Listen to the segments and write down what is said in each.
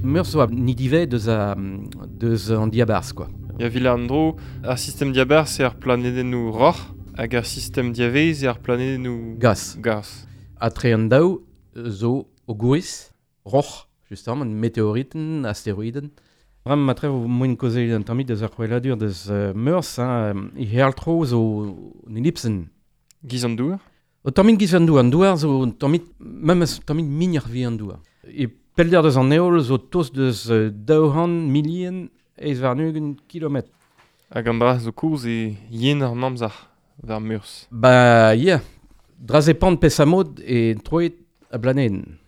Meurzh zo ni divez deus, a, deus an diabarzh, quoi. Ya vil an dro, ar sistem diabarzh eo ar planedennoù roc'h, hag ar sistem diavez eo ar planedennoù... Gaz. Gaz. Ha tre an daou zo o gouriz, roc'h, justement, meteoriten, asteroiden. Bremañ matre vo moen kaozeal un tammig deus ar c'hweladur deus Meurzh, hein, e heol-tro zo un elipsenn. Giz an douar? O tammig giz an douar. An douar zo un tammig, memes tammig mignoc'h 'vit an douar. E pellder deus an heol zo tost deus 200 milien 28 kilometr. Hag an dra zo kozh eo yen an amzer war Meurzh. Ba ya, dra zepant peseurt mod e troet a blanedenn.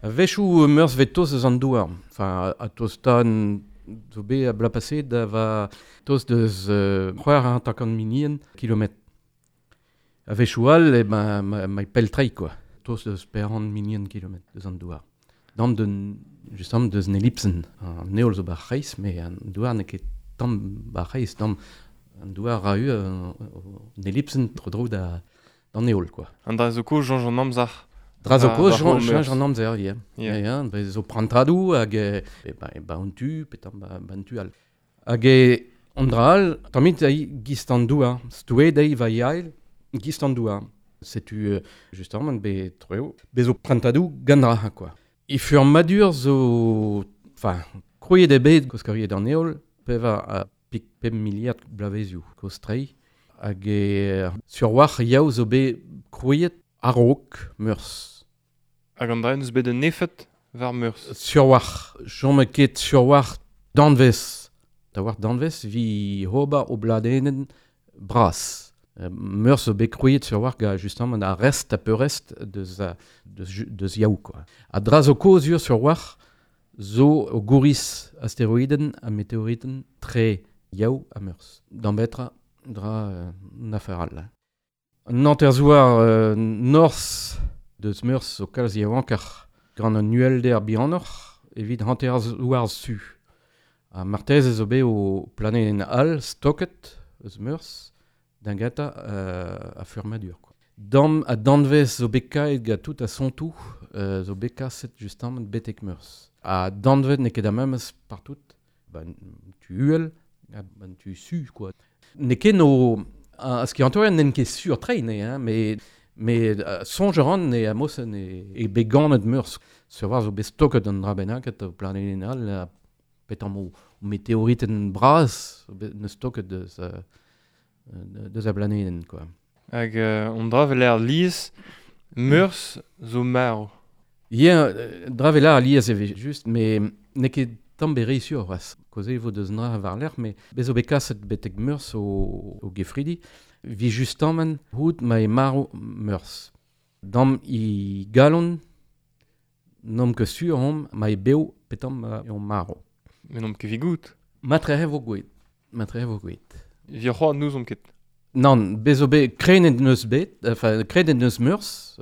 A-wechoù Meurzh 'vez tost eus an douar. Enfin, a tostan zo bet a bloaz paseet da va tost deus 650 milien kilometr. A-wechoù all e ma, ma, ma pell-treiñ quoi. Tost deus 400 milion kilometr deus an douar. Dam d'un justement deus un elipsenn. An heol zo bar c'hreiz, mais an douar n'eo ket tamm bar c'hreiz, tamm an douar ra eu un elipsenn tro-dro da d'an heol quoi. An dra zo kozh soñj an amzer. Dra zo kozh soñj an amzer, ya. Ya, ya, bez zo prantadoù hag e ba, ba un tu, pe tamm ba, ba un tu all. Hag e an dra all, tammit ei gist an douar. Stouet ei va yael, gist an douar. Setu justement bet treo. Bez zo prantadoù gant ra, quoi. E furmadur zo... Enfin, krouet eo bet koskoriet an heol, pevar ha pik pemp miliard bloavezioù kozh-treiñ. Hag e sur-walc'h yaou zo bet krouet a-raok Meurzh. Hag an dra en deus bet un efed war Meurzh? Sur-walc'h. Chom ket sur-walc'h danvez. Da war danvez vi ober o bladenenn bras. Meurzh zo bet krouet sur-walc'h gant justement ar rest ha peurrest deus, deus, deus yaou quoi. Ha dra zo kozh sur-walc'h zo o gouriz asteroidenn ha meteoritenn tre yaou ha Meurzh. D'an betra dra un afer all. An hanterzouar norzh deus Meurzh zo kalz yaouankoc'h gant un uhelder bihanoc'h evit hanterzouar su. Ha marteze zo bet o planedenn all stoket eus Meurzh da gentañ a furmadur. Quoi. Dam ha danvez zo bet kaet gant tout a sontoù zo bet kaset justement betek Meurzh. Ha danvez n'eo ket ar memes partout. Ba tu uhel, ha ban tu su, quoi. N'eo ket no... Ar skiantourien n'int ket sur tre, ne, hein, mais mais soñj a ran ne amosen e, e bet ganet Meurzh. Sur war zo bet stoket an dra bennaket o planedenn all, ha petamp o meteoritenn bras neus stoket deus, deus a blanedenn, quoi. Hag on dra vel ar lies, Meurzh zo marv. Ya, dra vel ar lies e vez just, mais n'eo ket tamm bet re sur c'hoazh. Kaoze e vo deus an dra war-lerc'h, mais bez zo bet kaset betek Meurzh o, o gefridi. Vi justement hout ma eo marv Meurzh. Dam i galon, n'omp ket sur omp ma eo bev pe tamm eo marv. Mais n'omp ket evit goût. Matrehe vo gouet. Matrehe vo gouet. Evit c'hoazh n'ouzomp ket. Nann, bez zo bet krenet n'eus bet, enfin krenet n'eus Meurzh,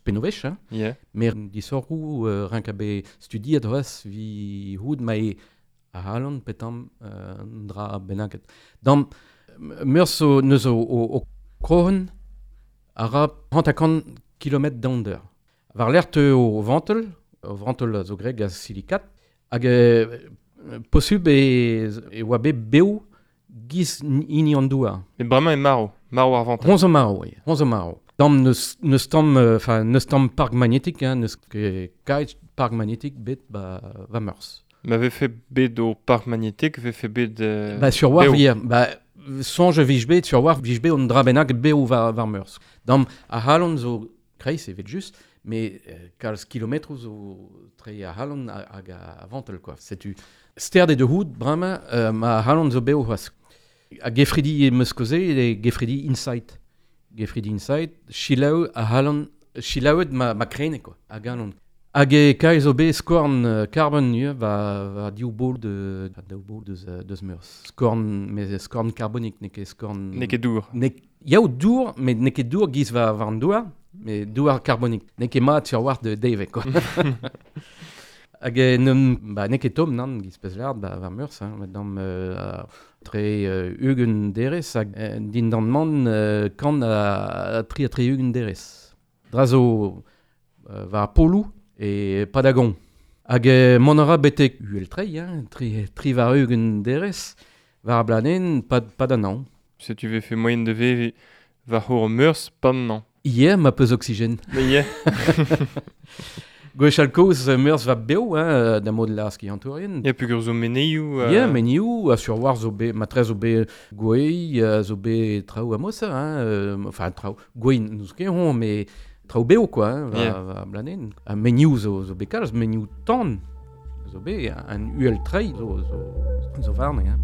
pennwech, hein. Yeah. Mer disorc'hoù renk a bet studiet c'hoazh vi houd ma eo ac'halon petam un dra bennaket. Dam Meurzh zo neus o, o, o krohenn a ra 50 kilometr donder. War-lerc'h teu o vantel, o vantel a zo graet gant silikat, hag posubl e, e oa bet bev giz hini an douar. Met bremañ eo marv, marv ar vantel. Hon zo marv, oui, hon zo marv. Tamm n'eus, n'eus tamm, enfin, n'eus tamm park magnétique, hein, n'eus ket kaet park magnétique bet ba, va Meurzh. Ma vefe bet o park magnétique, vefe bet Ba sur war wir, ba soñj a vije bet sur war vije bet un dra bennak bev war, war Meurzh. Dam ar c'halon zo kreiz evel just, mais kalz kilometroù zo tre ar c'halon hag a vantel quoi. Setu sterd eo da c'hoût bremañ ma c'halon zo bev c'hoazh. Ha gefridi em eus kaozeet eo gefridi Insight. Gefridi Insight, selaou ar c'halon, selaouet ma, ma krene quoi, a galon. Hag e kae zo bet skorn karbon ivez war, war div bol de, daou bol deus, deus Meurzh. Skorn, mais skorn karbonik, n'eo ket skorn... N'eo ket dour. N'eo yaou dour, met n'eo ket dour giz war, war an douar, mais douar karbonik. N'eo ket mat sur war de devek, quoi. Hag n'eum, ba, n'eo ket tomm, nann, giz pezh lard, ba, war Meurzh, hein, met dam tre 20 derez, hag dindan man kant ha tri ha 60 derez. Dra zo war poloù e Padagon. Hag mont a ra betek uhel trei, hein, tri, tri war ugent derez, war ar blanen, pad an an. Setu vefe moyen de vevi war c'hour meurzh pan an. Ie, ma peus oxygène. Mais ie. Gwechall kozh meurzh va bev, hein, da mod la skiantourien. Ya, pugur zo menioù... Ya, menioù, a sur war zo be, matrez zo be gwei, zo be traoù amosa, hein, enfin traoù, gwei n'eus ket hon, mais traoù bev, quoi, hein, va, Yeah. va blanen. Ha menioù zo be kalz, menioù tan zo be, an uhel trei zo warne, hein.